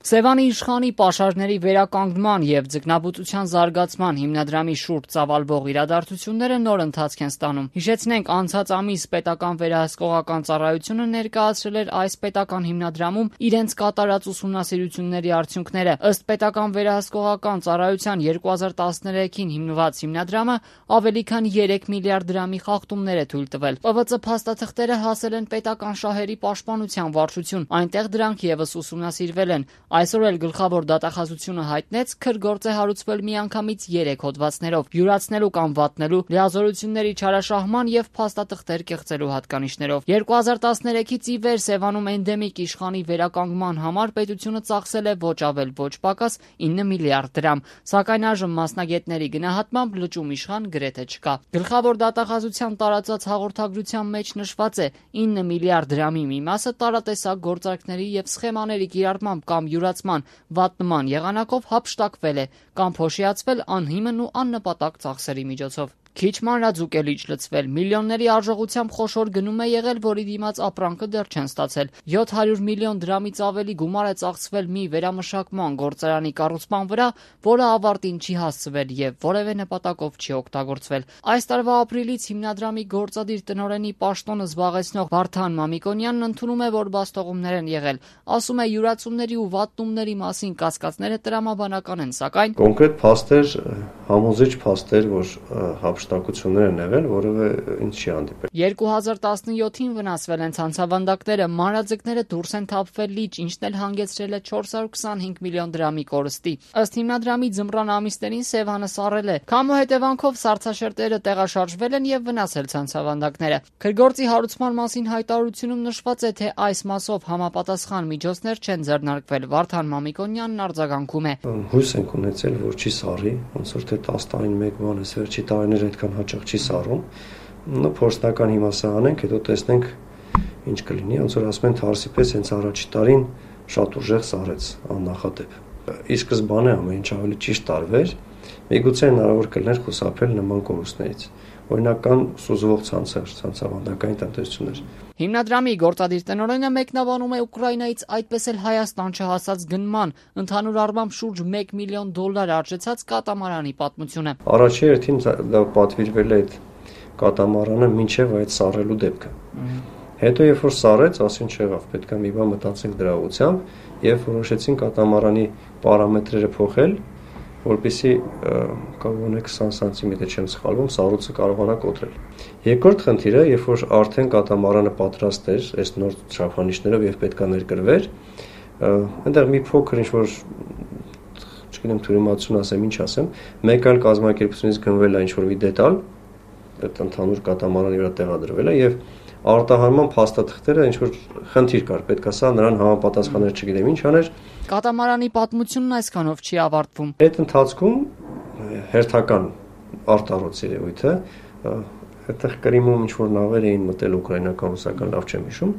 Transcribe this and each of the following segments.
Սևանի իշխանի պաշարների վերականգնման և ձկնաբուծության զարգացման հիմնադրամի շուրջ ծավալվող իրադարձությունները նոր ընթացք են ստանում։ Հիշեցնենք, անցած ամիս պետական վերահսկողական ծառայությունը ներկայացրել էր այս պետական հիմնադրամում իրենց կատարած ուսումնասիրությունների արդյունքները։ Ըստ պետական վերահսկողական ծառայության 2013-ին հիմնված հիմնադրամը ավելի քան 3 միլիարդ դրամի խախտումներ է թույլ տվել։ ՊՎԾ փաստաթղթերը հասել են պետական շահերի պաշտպանության վարչություն, այնտեղ դրանք ևս ուսումնասիրվել են։ Այսօր էլ գլխավոր դատախազությունը հայտնեց, քրգործ է հարուցվել միանգամից 3 հոդվածներով՝ յուրացնելու կամ վատնելու, լիազորությունների չարաշահման և փաստաթղթեր կեղծելու հատկանիշներով։ 2013-ից ի վեր Սևանում էնդեմիկ իշխանի վերականգնման համար պետությունը ծախսել է ոչ ավել ոչ պակաս 9 միլիարդ դրամ, սակայն այժմ մասնագետների գնահատմամբ լճում իշխան գրեթե չկա։ Գլխավոր դատախազության տարածած հաղորդագրության մեջ նշված է՝ 9 միլիարդ դրամի մի մասը տարատեսակ գործարքների և սխեմաների կիրառմամբ կամ յուրացման, վատնման եղանակով հափշտակվել է կամ փոշիացվել անհիմն ու աննպատակ ծախսերի միջոցով։ Քիչ մանրաձուկ է լիճ լցվել, միլիոնների արժողությամբ խոշոր գնում է եղել, որի դիմաց ապրանքը դեռ չեն ստացել։ 700 միլիոն դրամից ավելի գումար է ծախսվել մի վերամշակման գործարանի կառուցման վրա, որը ավարտին չի հասցվել և որևէ նպատակով չի օգտագործվել։ Այս տարվա ապրիլից հիմնադրամի գործադիր տնօրենի պաշտոնը զբաղեցնող Վարդան Մամիկոնյանն ընդունում է, որ բաստողումներ են եղել։ Ասում է, յուրացումների ու վատնումների մասին կասկածները տրամաբանական են, սակայն կոնկրետ փաստեր, համոզիչ փաստեր, որ հափշտակություններ են եղել, որևէ ինչ չի հանդիպել։ 2017-ին վնասվել են ցանցավանդակները, մանրաձկները դուրս են թափվել լիճ, ինչն էլ հանգեցրել է 425 միլիոն դրամի կորստի։ Ըստ հիմնադրամի ձմռան ամիսներին Սևանը սառել է։ Քամու հետևանքով սառցաշերտերը տեղաշարժվել են և վնասել ցանցավանդակները։ Քրգործի հարուցման մասին հայտարարությունում նշված է, թե այս մասով համապատասխան միջոցներ չեն ձեռնարկվել։ Վարդան Մամիկոնյանն արձագանքում է. Հույս ենք ունեցել, որ չի սառի, ոնց որ թե 10 տարին մեկ բան է, վերջի տարիներ այդքան հաճախ չի սառում։ Փորձնական հիմա սա անենք, հետո տեսնենք ինչ կլինի, ոնց որ ասում են Թարսի պես հենց առաջի տարին շատ ուժեղ սառեց աննախադեպ։ Ի սկզբանե ամեն ինչ ավելի ճիշտ տարվեր, միգուցե հնարավոր կլիներ խուսափել նման կորուստներից։ Օրինակ կան սուզվող ցանցեր, ցանցավանդակային տնտեսություններ։ Հիմնադրամի գործադիր տնօրենը մեկնաբանում է Ուկրաինայից, այդպես էլ Հայաստան չհասած գնման, ընդհանուր առմամբ շուրջ $1 միլիոն արժեցած կատամարանի պատմությունը։ Առաջի հերթին դա պատվիրվել է այդ կատամարանը մինչև այդ սառելու դեպքը։ Հետո երբ որ սառեց, ասին չեղավ, պետք է մի բան մտածենք դրա ուղղությամբ եւ որոշեցին կատամարանի պարամետրերը փոխել, որպեսզի կողմոնե 20 սանտիմետր չեմ սխալվում, սառույցը կարողանա կոտրել։ Երկրորդ խնդիրը, երբ որ արդեն կատամարանը պատրաստ էր, այս նոր չափանիշներով եւ պետքա ներկրվեր, այնտեղ մի փոքր ինչ-որ, չգիտեմ, թյուրիմացություն ասեմ, ինչ ասեմ, մեկ այլ կազմակերպությունից գնվել է ինչ-որ մի դետալ, այդ ընդհանուր կատամարանի վրա տեղադրվել է եւ արտահանման փաստաթղթերը ինչ-որ խնդիր կար, պետքա սա նրան համապատասխաներ, չգիտեմ ինչ աներ։ Կատամարանի պատմությունն այսքանով չի ավարտվում։ Այդ ընթացքում հերթական արտառոց երևույթը, այդտեղ Կրիմում ինչ-որ նավեր էին մտել ուկրաինական, ռուսական, լավ չեմ հիշում,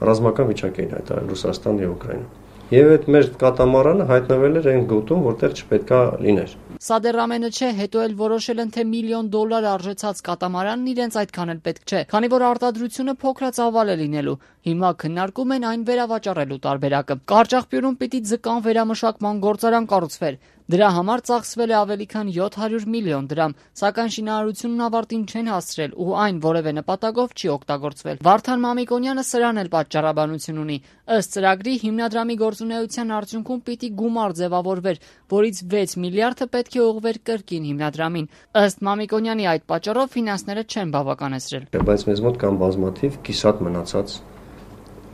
ռազմական վիճակ էին հայտարարել Ռուսաստան եւ Ուկրաինա։ Եվ այդ մեր կատամարանը հայտնվել էր այն գոտում, որտեղ չպետքա լիներ։ Սա դեռ ամենը չէ, հետո էլ որոշել են, թե $1 միլիոն արժեցած կատամարանն իրենց այդքան էլ պետք չէ, քանի որ արտադրությունը փոքրացավալ է լինելու։ Հիմա քննարկում են այն վերավաճառելու տարբերակը։ Կարճախբյուրում պիտի ձկան վերամշակման գործարան կառուցվեր։ Դրա համար ծախսվել է ավելի քան 700 միլիոն դրամ, սակայն շինարարությունն ավարտին չեն հասցրել ու այն որևէ նպատակով չի օգտագործվել։ Վարդան Մամիկոնյանը սրան էլ պատճառաբանություն ունի։ Ըստ ծրագրի հիմնադրամի գործունեության արդյունքում պիտի գումար ձևավորվեր, որից 6 միլիարդը պետք է ուղղվեր կրկին հիմնադրամին։ Ըստ Մամիկոնյանի այդ պատճառով ֆինանսները չեն բավականեցրել։ Բայց մեզ մոտ կան բազմաթիվ կիսատ մնացած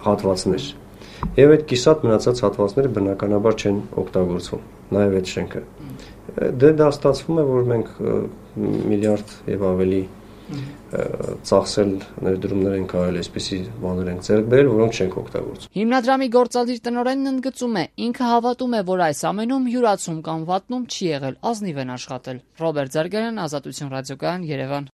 հատվածներ։ Եվ այդ կիսատ մնացած հատվածները բնականաբար չեն օգտագործվում, նաև այդ շենքը։ Դա ստացվում է, որ մենք միլիարդ եւ ավելի ծախսել ներդրումներ ենք արել, այսպիսի բաներ ենք ձեռք բերել, որոնք չենք օգտագործում։ Հիմնադրամի գործադիր տնօրենն ընդգծում է, ինքը հավատում է, որ այս ամենում յուրացում կամ վատնում չի եղել, ազնիվ են աշխատել։ Ռոբերտ Զարգարյան, Ազատություն ռադիոկայան, Երևան։